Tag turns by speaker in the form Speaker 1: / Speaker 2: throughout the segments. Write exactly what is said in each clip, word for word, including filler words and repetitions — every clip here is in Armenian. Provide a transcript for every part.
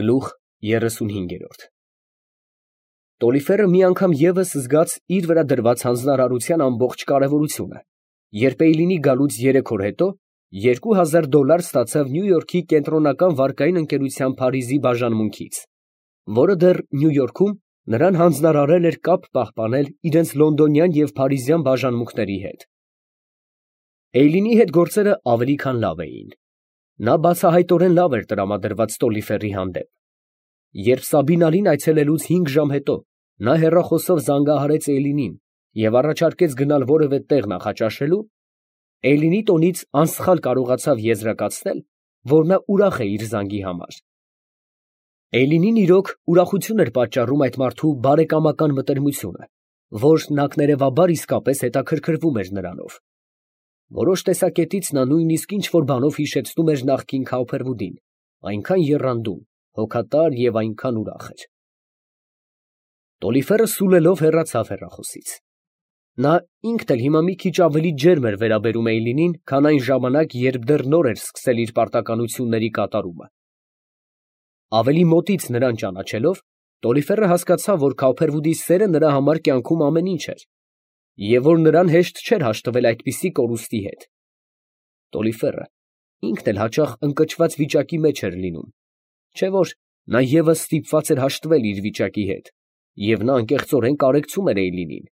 Speaker 1: Գլուխ երեսունհինգ Տոլիֆերը մի անգամ ևս զգաց իր վրա դրված հանձնարարության ամբողջ կարևորությունը, երբ Էյլինի գալուց երեք օր հետո երկու հազար դոլար ստացավ Նյու Յորքի կենտրոնական վարկային ընկերության Փարիզի բաժանմունքից, որը դեռ Նյու Յորքում նրան հանձնարարել էր կապ պահպանել իրենց լոնդոնյան և փարիզյան բաժանմունքների հետ։ Էյլինի հետ գործերը ավելի քան լավ էին։ Նա բացահայտորեն լավ էր տրամադրված Տոլիֆերի հանդեպ։ Երբ Սաբինալին այցելելուց հինգ ժամ հետո նա հեռախոսով զանգահարեց Էյլինին և առաջարկեց գնալ որևէ տեղ նախաճաշելու, Էյլինի տոնից անսխալ կարողացավ եզրակացնել, որ նա ուրախ է իր զանգի համար։ Էյլինին իրոք ուրախություն էր պատճառում այդ մարդու բարեկամական մտերմությունը, որ նախներևաբար իսկապես հետաքրքրվում էր նրանով։ Որոշ տեսակետից նա նույնիսկ ինչ֊որ բանով հիշեցնում էր նախկին Քաուփերվուդին, այնքան եռանդուն, հոգատար և այնքան ուրախ էր։ Տոլիֆերը սուլելով հեռացավ հեռախոսից։ Նա ինքն էլ հիմա մի քիչ ավելի ջերմ էր վերաբերում Էյլինին, քան այն ժամանակ, երբ դեռ նոր էր սկսել իր պարտականությունների կատարումը։ Ավելի մոտից նրան ճանաչելով, Տոլիֆերը հասկացավ, որ Քաուփերվուդի սերը նրա համար կյանքում ամեն ինչ էր, և որ նրան հեշտ չէր հաշտվել այդպիսի կորուստի հետ։ Տոլիֆերը ինքն էլ հաճախ ընկճված վիճակի մեջ էր լինում, չէ՞ որ նա ևս ստիպված էր հաշտվել իր վիճակի հետ, և նա անկեղծորեն կարեկցում էր Էյլինին։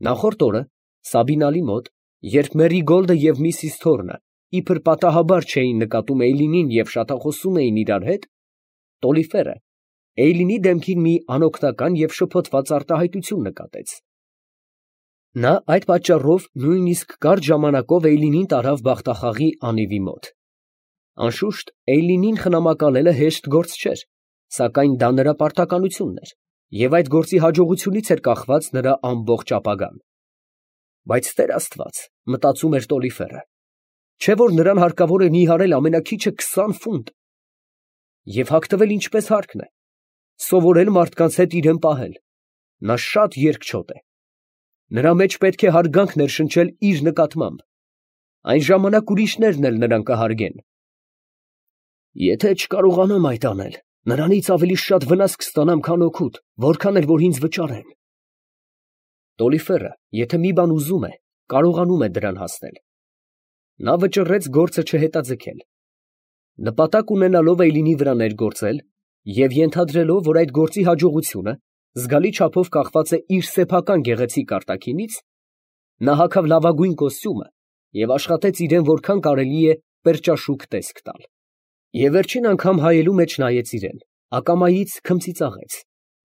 Speaker 1: Նախորդ օրը Սաբինալի մոտ, երբ Մերիգոլդը և միսիս Թորնը իբր պատահաբար չէին նկատում Էյլինին և շատախոսում էին իրար հետ, Տոլիֆերը Էյլինի դեմքին մի անօգնական և շփոթված արտահայտություն նկատեց։ Նա այդ պատճառով նույնիսկ կարճ ժամանակով Էյլինին տարավ բախտախաղի անիվի մոտ։ Անշուշտ, Էյլինին խնամակալելը հեշտ գործ չէր, սակայն դա նրա պարտականությունն էր, և այդ գործի հաջողությունից էր կախված նրա ամբողջ ապագան։ Բայց Տեր Աստված, մտածում էր Տոլիֆերը, չէ՞ որ նրան հարկավոր է նիհարել ամենաքիչը քսան ֆունտ և հագնվել ինչպես հարկն է, սովորել մարդկանց հետ իրան պահել։ Նա շատ երկչոտ է։ Նրա մեջ պետք է հարգանք ներշնչել իր նկատմամբ, այն ժամանակ ուրիշներն էլ նրան կհարգեն։ Եթե չկարողանամ այդ անել, նրանից ավելի շատ վնաս կստանամ, քան օգուտ, որքան էլ որ ինձ վճարեն։ Տոլիֆերը, եթե մի բան ուզում է, կարողանում է դրան հասնել։ Նա վճռեց գործը չհետաձգել։ Նպատակ ունենալով Էյլինի վրա ներգործել և ենթադրելով, որ այդ գործի հաջողությունը զգալի չափով կախված է իր սեփական գեղեցիկ արտաքինից, նա հագավ լավագույն կոստյումը և աշխատեց իրան որքան կարելի է պերճաշուք տեսք տալ։ Եվ վերջին անգամ հայելու մեջ նայեց իրան, ակամայից քմծիծաղեց,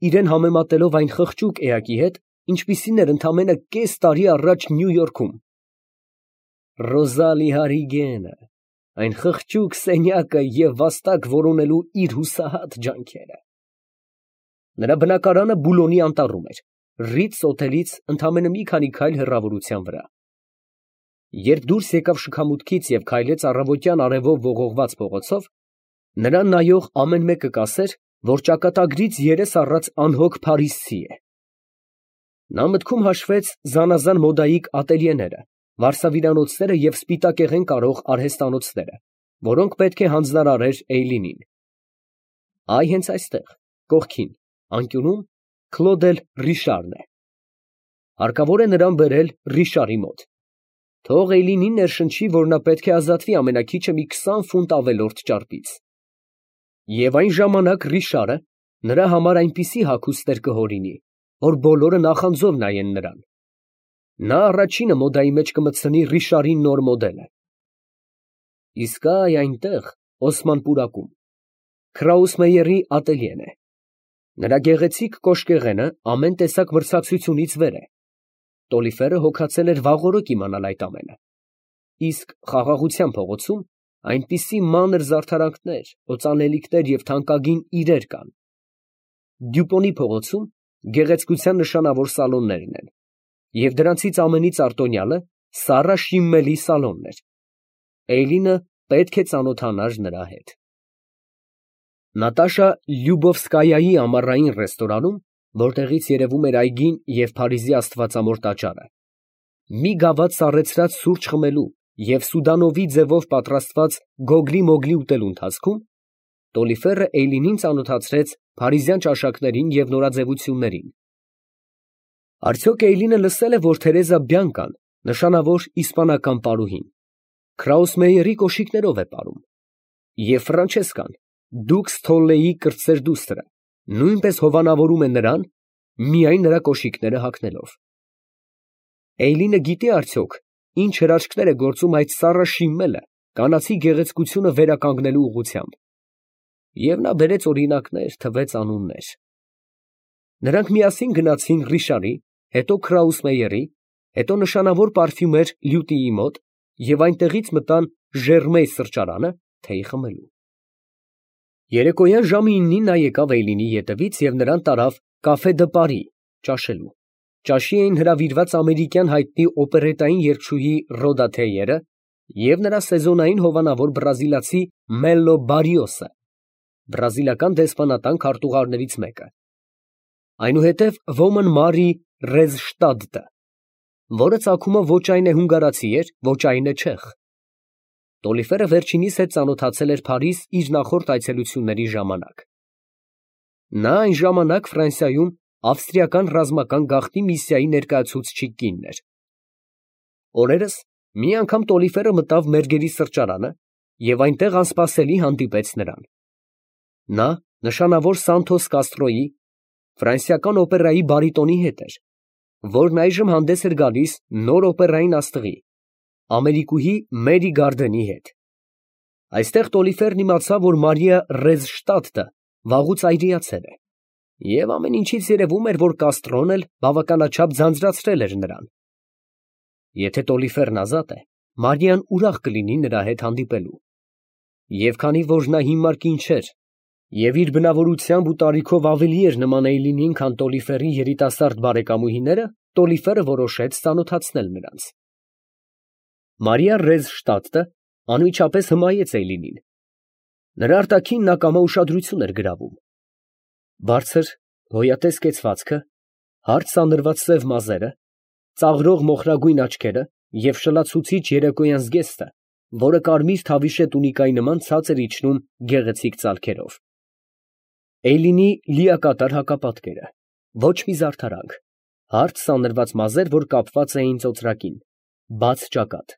Speaker 1: իրան համեմատելով այն խղճուկ էակի հետ, ինչպիսին էր ընդամենը կես տարի առաջ Նյու Յորքում։ Ռոզալի Հարրիգենը, այն խղճուկ սենյակը և վաստակ որոնելու իր հուսահատ ջանքերը։ Նրա բնակարանը Բուլոնի անտառում էր, Ռիթս հոթելից ընդամենը մի քանի քայլ հեռավորության վրա։ Երբ դուրս եկավ շքամուտքից և քայլեց առավոտյան արևով ողողված փողոցով, նրան նայող ամեն մեկը կասեր, որ ճակատագրից երես առած անհոգ փարիզցի է։ Նա մտքում հաշվեց զանազան մոդայիկ ատելյեները, վարսավիրանոցները և սպիտակեղեն կարող արհեստանոցները, որոնք պետք է հանձնարարեր Էյլինին։ Այ հենց այստեղ, կողքին, անկյունում Քլոդ էլ Ռիշարն է։ Հարկավոր է նրան բերել Ռիշարի մոտ։ Թող Էյլինին ներշնչի, որ նա պետք է ազատվի ամենաքիչը մի քսան ֆունտ ավելորդ ճարպից։ Եվ այն ժամանակ Ռիշարը նրա համար այնպիսի հագուստներ կհորինի, որ բոլորը նախանձով նայեն նրան։ Նա առաջինը մոդայի մեջ կմտցնի Ռիշարի նոր մոդելը։ Իսկ այ այնտեղ, Օսման պուրակում, Քրաուսմեյերի ատելյեն է։ Նրա գեղեցիկ կոշկեղենը ամեն տեսակ մրցակցությունից վեր է։ Տոլիֆերը հոգացել էր վաղօրոք իմանալ այդ ամենը։ Իսկ Խաղաղության փողոցում այնպիսի մանր զարդարանքներ, օծանելիքներ և թանկագին իրեր կան։ Դյուպոնի փողոցում գեղեցկության նշանավոր սալոններն են, և դրանցից ամենից արտոնյալը Սառա Շիմմելի սալոնն էր։ Էյլինը պետք է ծանոթանար նրա հետ։ Նատաշա Լյուբովսկայայի ամառային ռեստորանում, որտեղից երևում էր այգին և Փարիզի Աստվածամոր տաճարը, մի գավաթ սառեցրած սուրճ խմելու և Սուդանովի ձևով պատրաստված գոգլի֊մոգլի ուտելու ընթացքում, Տոլիֆերը Էյլինին ծանոթացրեց փարիզյան ճաշակներին և նորաձևություններին։ Արդյոք Էյլինը լսել է, որ Թերեզա Բյանկան, նշանավոր իսպանական պարուհին, Քրաուսմեյերի կոշիկներով է ապրում, և Ֆրանչեսկան, դուքս Թոլլեի կրտսեր դուստրը, նույնպես հովանավորում է նրան, միայն նրա կոշիկները հագնելով։ Էյլինը գիտե՞ արդյոք, ինչ հրաշքներ է գործում այդ սառը շիմմելը կանացի գեղեցկությունը վերականգնելու ուղղությամբ։ Եվ նա բերեց օրինակներ, թվեց անուններ։ Նրանք միասին գնացին Ռիշարի, հետո Քրաուսմեյերի, հետո նշանավոր պարֆյումեր Լյուտիի մոտ և այնտեղից մտան Ժերմեյ սրճարանը թեյ խմելու։ Երեկոյան ժամը իննին նա եկավ Էյլինի ետևից և նրան տարավ Կաֆե դը Պարի ճաշելու։ Ճաշի էին հրավիրված ամերիկյան հայտնի օպերետային երգչուհի Ռոդա Թեյերը և նրա սեզոնային հովանավոր բրազիլացի Մելլո Բարիոսը, բրազիլական դեսպանատան քարտուղարներից մեկը, այնուհետև ոմն Մարի Ռեզշտադտը, որը ծագումը ոչ այն է հունգարացի էր, ոչ այն է չեխ։ Տոլիֆերը վերջինիս հետ ծանոթացել էր Փարիզ իր նախորդ այցելությունների ժամանակ։ Նա այն ժամանակ Ֆրանսիայում ավստրիական ռազմական գաղտնի միսիայի ներկայացուցիչ կինն էր։ Օրերս մի անգամ Տոլիֆերը մտավ Մերգերի սրճարանը և այնտեղ անսպասելի հանդիպեց նրան։ Նա նշանավոր Սանթոս Կաստրոյի, ֆրանսիական օպերայի բարիտոնի հետ էր, որն այժմ հանդես էր գալիս նոր օպերային աստղի, ամերիկուհի Մերի Գարդենի հետ։ Այստեղ Տոլիֆերն իմացավ, որ Մարիա Ռեզշտադտը վաղուց այրիացել է, և ամեն ինչից երևում էր, որ Կաստրոն էլ բավականաչափ ձանձրացրել էր նրան։ Եթե Տոլիֆերն ազատ է, Մարիան ուրախ կլինի նրա հետ հանդիպելու։ Եվ քանի որ նա հիմար կին չէր, և իր բնավորությամբ ու տարիքով ավելի էր նման Էյլինին, քան Տոլիֆերի երիտասարդ բարեկամուհիները, Տոլիֆերը որոշեց ծանոթացնել նրանց։ Մարիա Ռեզշտադտը անմիջապես հմայեց Էյլինին։ Նրա արտաքին նա կամա ուշադրություն էր գրավում։ Բարձր, գոյատես կեցվածքը, հարթ սանրված սև մազերը, ծաղրող մոխրագույն աչքերը և շլացուցիչ երեկոյան զգեստը, որը կարմիր թավիշե տունիկայի նման ցածր իջնում գեղեցիկ ծալքերով։ Էյլինի լիակատար հակապատկերը, ոչ մի զարդարանք, հարթ սանրված մազեր, որ կապված էին ծոծրակին, բաց ճակատ։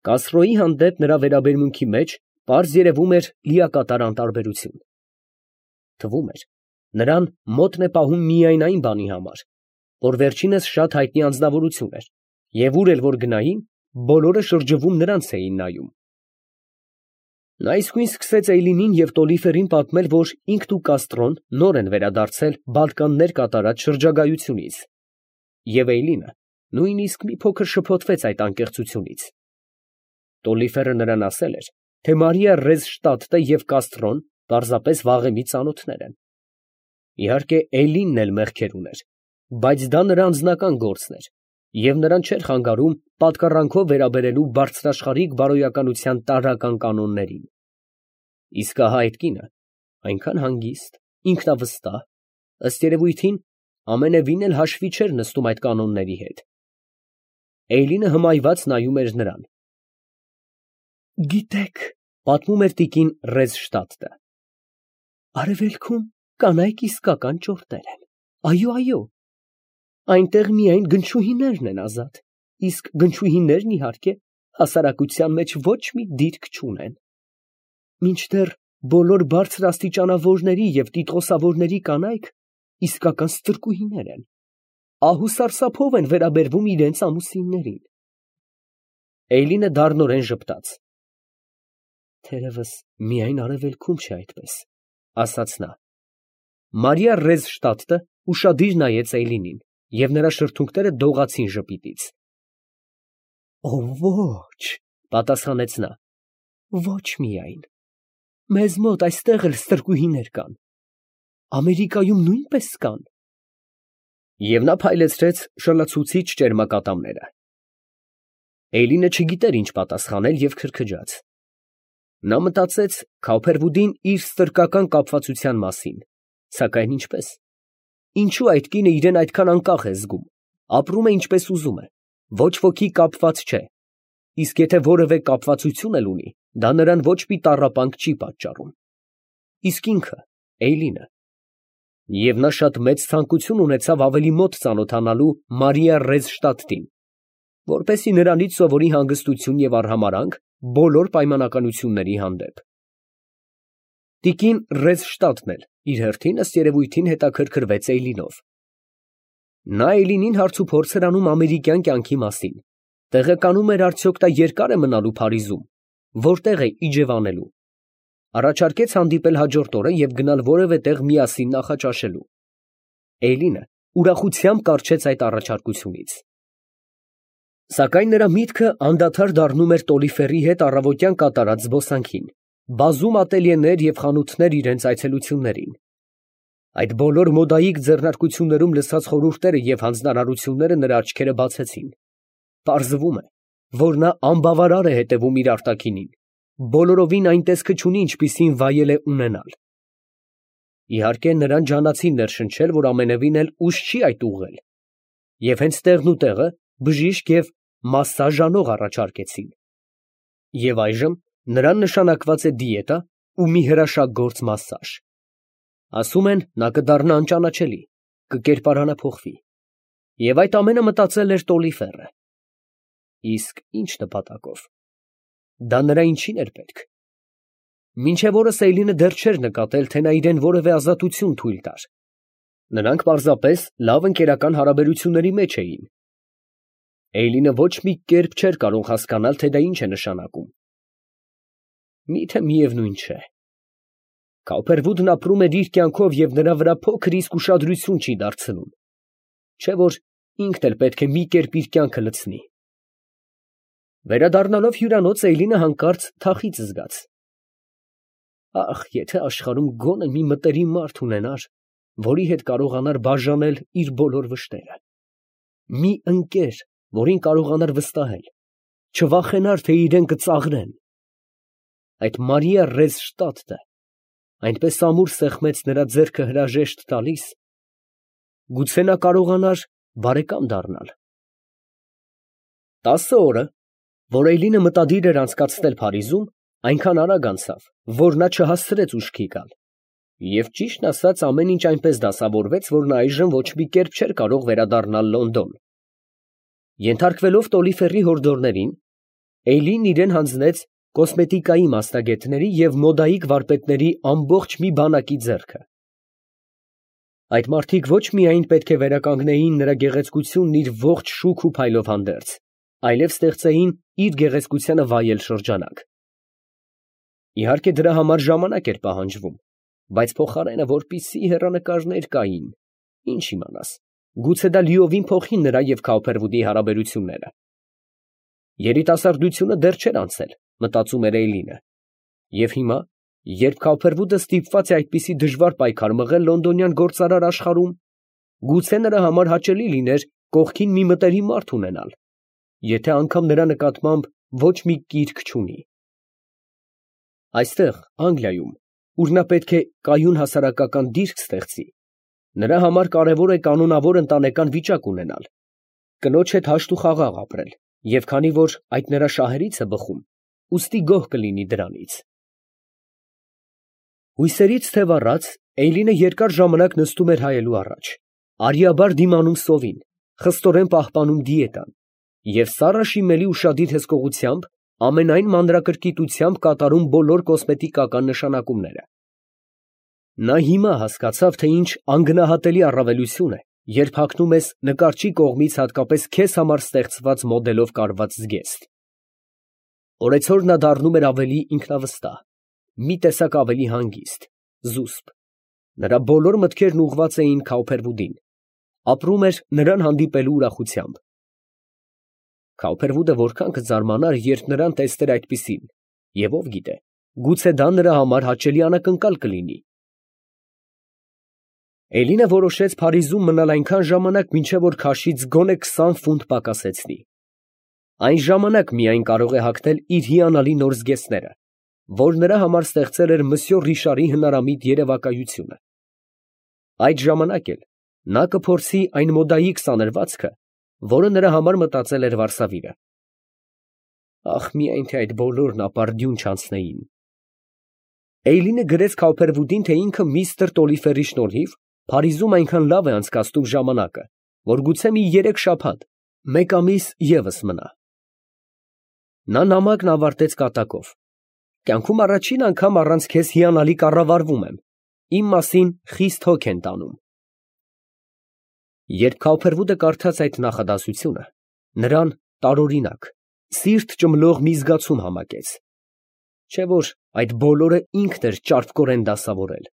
Speaker 1: Կաստրոյի հանդեպ նրա վերաբերմունքի մեջ պարզ երևում էր լիակատար անտարբերություն։ Թվում էր, նրան մոտն է պահում միայն այն բանի համար, որ վերջինս շատ հայտնի անձնավորություն էր, և ուր էլ որ գնային, բոլորը շրջվում նրանց էին նայում։ Նա իսկույն սկսեց Էյլինին և Տոլիֆերին պատմել, որ ինքն ու Կաստրոն նոր են վերադարձել Բալկաններ կատարած շրջագայությունից, և Էյլինը նույնիսկ մի փոքր շփոթվեց այդ անկեղծությունից։ Տոլիֆերը նրան ասել էր, թե Մարիա Ռեզշտադտը և Կաստրոն պարզապես վաղեմի ծանոթներ են։ Իհարկե, Էյլինն էլ մեղքեր ուներ, բայց դա նրա անձնական գործն էր, և նրան չէր խանգարում պատկառանքով վերաբերելու բարձրաշխարհիկ բարոյականության տարրական կանոններին։ Իսկ ահա այդ կինը այնքան հանգիստ, ինքնավստահ, ըստ երևույթին, ամենևին էլ հաշվի չէր նստում այդ կանոնների հետ։ Էյլինը հմայված նայում էր նրան։ Գիտեք, պատմում էր տիկին Ռեզշտադտը, արևելքում կանայք իսկական ճորտեր են։ Այո, այո, այնտեղ միայն գնչուհիներն են ազատ, իսկ գնչուհիներն, իհարկե, հասարակության մեջ ոչ մի դիրք չունեն։ Մինչդեռ բոլոր բարձրաստիճանավորների և տիտղոսավորների կանայք իսկական ստրկուհիներ են, ահ ու սարսափով են վերաբերվում իրենց ամուսիններին։ Էյլինը դառնորեն ժպտաց։ Թերևս միայն արևելքում չէ այդպես, ասաց նա։ Մարիա Ռեզշտադտը ուշադիր նայեց Էյլինին, և նրա շրթունքները դողացին ժպիտից։ Օ, ոչ, պատասխանեց նա, ոչ միայն։ Մեզ մոտ այստեղ էլ ստրկուհիներ կան, Ամերիկայում նույնպես կան։ Եվ նա փայլեցրեց շլացուցիչ ճերմակատամները։ Էյլինը չգիտեր ինչ պատասխանել և քրքջաց։ Նա մտածեց Քոփերվուդին իր ստրկական կապվածության մասին, սակայն ինչպես։ Ինչու այդ կինը իրեն այդքան անկախ է զգում, ապրում է ինչպես ուզում է, ոչ ոքի կապված չէ, իսկ եթե որևէ կապվածություն էլ ունի, դա նրան ոչ մի տառապանք չի պատճառում։ իսկ ինքը Էյլինը։ Եվ նա շատ մեծ ցանկություն ունեցավ ավելի մոտ ծանոթանալու Մարիա Ռեզշտադտին, որպեսզի նրանից սովորի հանգստություն և արհամարհանք բոլոր պայմանականությունների հանդեպ։ Տիկին Ռեզշտադտն էլ իր հերթին, ըստ երևույթին, հետաքրքրվեց Էյլինով։ Նա Էյլինին հարցուփորձ էր անում ամերիկյան կյանքի մասին, տեղեկանում էր արդյոք նա երկա՞ր է մնալու Փարիզում, որտե՞ղ է իջևանելու, առաջարկեց հանդիպել հաջորդ օրը և գնալ որևէ տեղ միասին նախաճաշելու։ Էյլինը ուրախությամբ կառչեց այդ առաջարկությունից։ Սակայն նրա միտքը անդադար դառնում էր Տոլիֆերի հետ առավոտյան կատարած զբոսանքին, բազում ատելյեներ և խանութներ իրենց այցելություններին։ Այդ բոլոր մոդայիկ ձեռնարկություններում լսած խորհուրդները և հանձնարարությունները նրա աչքերը բացեցին։ Պարզվում է, որ նա անբավարար է հետևում իր արտաքինին, բոլորովին այն տեսքը չունի, ինչպիսին վայել է ունենալ։ Իհարկե, նրան ջանացին ներշնչել, որ ամենևին էլ ուժ չի այդ ուղղել, և հենց տեղն ու տեղը բժիշկ և մասսաժ անող առաջարկեցին։ Եվ այժմ նրան նշանակված է դիետա ու մի հրաշագործ մասսաժ։ Ասում են, նա կդառնա անճանաչելի, կկերպարանափոխվի։ Եվ այդ ամենը մտածել էր Տոլիֆերը։ Իսկ ի՞նչ նպատակով։ Դա նրա ինչին էր պետք։ Մինչև օրս Էյլինը դեռ չէր նկատել, թե նա իրան որևէ ազատություն թույլ տար։ Նրանք պարզապես լավ ընկերական հարաբերությունների մեջ էին։ Էյլինը ոչ մի կերպ չէր կարող հասկանալ, թե դա ինչ է նշանակում։ Միթե միևնույն չէ։ Քավփերվուդն ապրում էր իր կյանքով և նրա վրա փոքր իսկ ուշադրություն չի դարձնում, չէ՞ որ ինքն էլ պետք է մի կերպ իր կյանքը լցնի։ Վերադառնալով հյուրանոց, Էյլինը հանկարծ թախիծ զգաց։ Ախ, եթե աշխարհում գոնե մի մտերիմ մարդ ունենար, որի հետ կարողանար բաժանել իր բոլոր վշտերը, մի ընկեր, որին կարողանար վստահել, չվախենար, թե իրան կծաղրեն։ Այդ Մարիա Ռեզշտադտը այնպես ամուր սեղմեց նրա ձեռքը հրաժեշտ տալիս, գուցե նա կարողանար բարեկամ դառնալ։ Տասը օրը, որ Էյլինը մտադիր էր անցկացնել Փարիզում, այնքան արագ անցավ, որ նա չհասցրեց ուշքի գալ, և ճիշտն ասած ամեն ինչ այնպես դասավորվեց, որ նա այժմ ոչ մի կերպ չէր կարող վերադառնալ Լոնդոն։ Ենթարկվելով Տոլիֆերի հորդորներին, Էյլինն իրան հանձնեց կոսմետիկայի մասնագետների և մոդայիկ վարպետների ամբողջ մի բանակի ձեռքը։ Այդ մարդիկ ոչ միայն պետք է վերականգնեին նրա գեղեցկությունն իր ողջ շուք ու փայլով հանդերձ, այլև ստեղծեին իր գեղեցկությանը վայել շրջանակ։ Իհարկե, դրա համար ժամանակ էր պահանջվում, բայց փոխարենը, որպիսի հեռանկարներ կային, ինչ իմանաս, գուցե դա լիովին փոխի նրա և Քավփերվուդի հարաբերությունները։ Երիտասարդությունը դեռ չէր անցել, մտածում էր Էյլինը, և հիմա, երբ Քավփերվուդը ստիպված է այդպիսի դժվար պայքար մղել լոնդոնյան գործարար աշխարհում, գուցե նրա համար հաճելի լիներ կողքին մի մտերիմ մարդ ունենալ, եթե անգամ նրա նկատմամբ ոչ մի կիրք չունի։ Այստեղ, Անգլիայում, ուր նա պետք է կայուն հասարակական դիրք ստեղծի, նրա համար կարևոր է կանոնավոր ընտանեկան վիճակ ունենալ, կնոջ հետ հաշտ ու խաղաղ ապրել, և քանի որ այդ նրա շահերից է բխում, ուստի գոհ կլինի դրանից։ Հույսերից թև առած, Էյլինը երկար ժամանակ նստում էր հայելու առաջ, արիաբար դիմանում սովին, խստորեն պահպանում դիետան և սառը շիմելի ուշադիր հսկողությամբ ամենայն մանրակրկիտությամբ կատարում բոլոր կոսմետիկական նշանակումները։ Նա հիմա հասկացավ, թե ինչ անգնահատելի առավելություն է, երբ հագնում ես նկարչի կողմից հատկապես քեզ համար ստեղծված մոդելով կարված զգեստ։ Օրեցօր նա դառնում էր ավելի ինքնավստահ, մի տեսակ ավելի հանգիստ, զուսպ։ Նրա բոլոր մտքերն ուղղված էին Քավփերվուդին, ապրում էր նրան հանդիպելու ուրախությամբ։ Քավփերվուդը որքան կզարմանար, երբ նրան տեսներ այդպիսին, և ով գիտե, գուցե դա նրա համար հաճելի անակնկալ կլինի։ Էլինը որոշեց Փարիզում մնալ այնքան ժամանակ, մինչև որ քաշից գոնե քսան ֆունտ պակասեցնի։ Այն ժամանակ միայն կարող է հագնել իր հիանալի նոր զգեստները, որ նրա համար ստեղծել էր մսյո Ռիշարի հնարամիտ երևակայությունը։ Այդ ժամանակ էլ նա կփորձի այն մոդայիկ սանրվածքը, որը նրա համար մտածել էր Վարսավիրը։ Ախ, միայն թե այդ բոլորն ապարդյուն չանցնեին։ Էյլինը գրեց Քոփերվուդին, թե ինքը միստր Տոլիֆերի շնորհիվ Փարիզում այնքան լավ է անցկացնում ժամանակը, որ գուցե մի երեք շաբաթ, մեկ ամիս ևս մնա։ Նա նամակն ավարտեց կատակով. «Կյանքում առաջին անգամ առանց քեզ հիանալի կառավարվում եմ, իմ մասին խիստ հոգ են տանում»։ Երբ Քոփերվուդը կարդաց այդ նախադասությունը, նրան տարօրինակ, սիրտ ճմլող մի զգացում համակեց, չէ՞ որ այդ բոլորը ինքն էր ճարպկորեն դասավորել,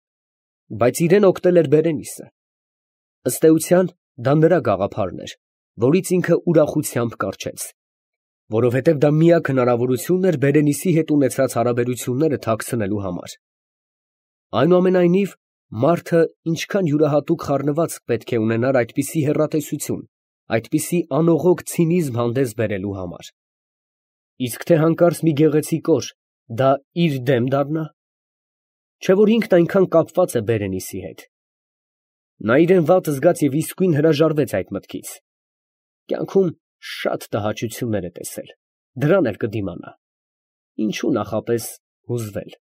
Speaker 1: բայց իրան օգնել էր Բերենիսը։ Ըստ էության, դա նրա գաղափարն էր, որից ինքը ուրախությամբ կառչեց, որովհետև դա միակ հնարավորությունն էր Բերենիսի հետ ունեցած հարաբերությունները թաքցնելու համար։ Այնուամենայնիվ, մարդը ինչքան յուրահատուկ խառնվածք պետք է ունենար այդպիսի հեռատեսություն, այդպիսի անողոք ցինիզմ հանդես բերելու համար։ Իսկ թե հանկարծ մի գեղեցիկ օր դա իր դեմ դառնա, չէ՞ որ ինքն այնքան կապված է Բերենիսի հետ։ Նա իրան վատ զգաց և իսկույն հրաժարվեց այդ մտքից։ Կյանքում շատ տհաճություններ է տեսել, դրան էլ կդիմանա, ինչու նախապես հուզվել։